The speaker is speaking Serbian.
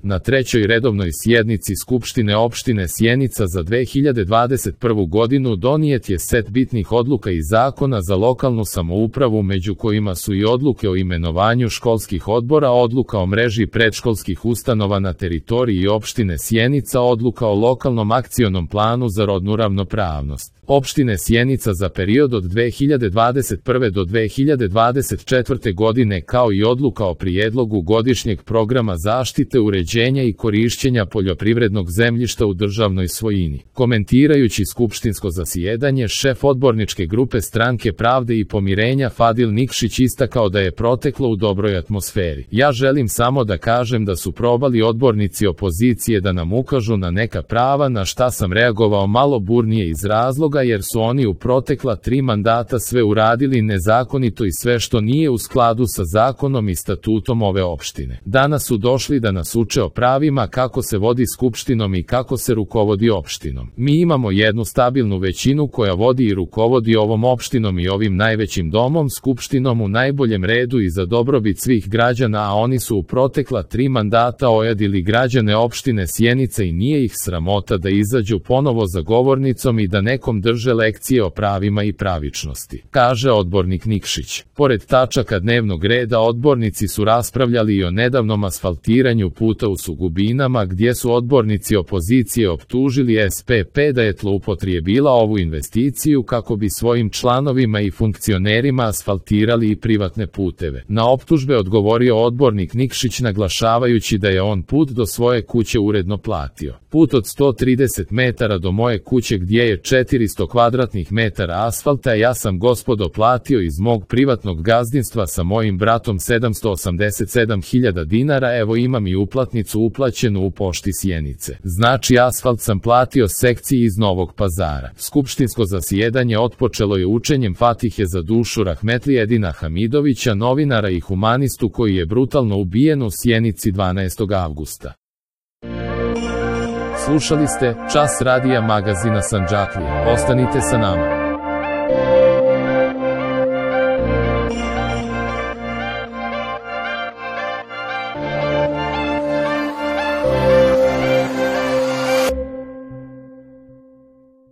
Na trećoj redovnoj sjednici Skupštine opštine Sjenica za 2021. godinu donijet je set bitnih odluka i zakona za lokalnu samoupravu, među kojima su i odluke o imenovanju školskih odbora, odluka o mreži predškolskih ustanova na teritoriji opštine Sjenica, odluka o lokalnom akcionom planu za rodnu ravnopravnost opštine Sjenica za period od 2021. do 2024. godine, kao i odluka o prijedlogu godišnjeg programa zaštite, uređenja i korišćenja poljoprivrednog zemljišta u državnoj svojini. Komentirajući skupštinsko zasjedanje, šef odborničke grupe Stranke pravde i pomirenja Fadil Nikšić istakao da je proteklo u dobroj atmosferi. Ja želim samo da kažem da su probali odbornici opozicije da nam ukažu na neka prava, na šta sam reagovao malo burnije iz razloga jer su oni u protekla 3 mandata sve uradili nezakonito i sve što nije u skladu sa zakonom i statutom ove opštine. Danas su došli da nas uče o pravima, kako se vodi skupštinom i kako se rukovodi opštinom. Mi imamo jednu stabilnu većinu koja vodi i rukovodi ovom opštinom i ovim najvećim domom, skupštinom u najboljem redu i za dobrobit svih građana, a oni su u protekla 3 mandata ojadili građane opštine Sjenica i nije ih sramota da izađu ponovo za govornicom i da nekom drže lekcije o pravima i pravičnosti, kaže odbornik Nikšić. Pored tačaka dnevnog reda, odbornici su raspravljali i o nedavnom asfaltiranju puta u Sugubinama, gdje su odbornici opozicije optužili SPP da je zloupotrijebila ovu investiciju kako bi svojim članovima i funkcionerima asfaltirali i privatne puteve. Na optužbe odgovorio odbornik Nikšić naglašavajući da je on put do svoje kuće uredno platio. Put od 130 metara do moje kuće gdje je 400 kvadratnih metara asfalta ja sam, gospodo, platio iz mog privatnog gazdinstva sa mojim bratom 787.000 dinara, evo imam i uplatnicu uplaćenu u pošti Sjenice. Znači asfalt sam platio sekciji iz Novog Pazara. Skupštinsko zasjedanje otpočelo je učenjem Fatihe za dušu rahmetli Edina Hamidovića, novinara i humanistu koji je brutalno ubijen u Sjenici 12. avgusta. Slušali ste Čas radija magazina Sandžaklija. Ostanite sa nama.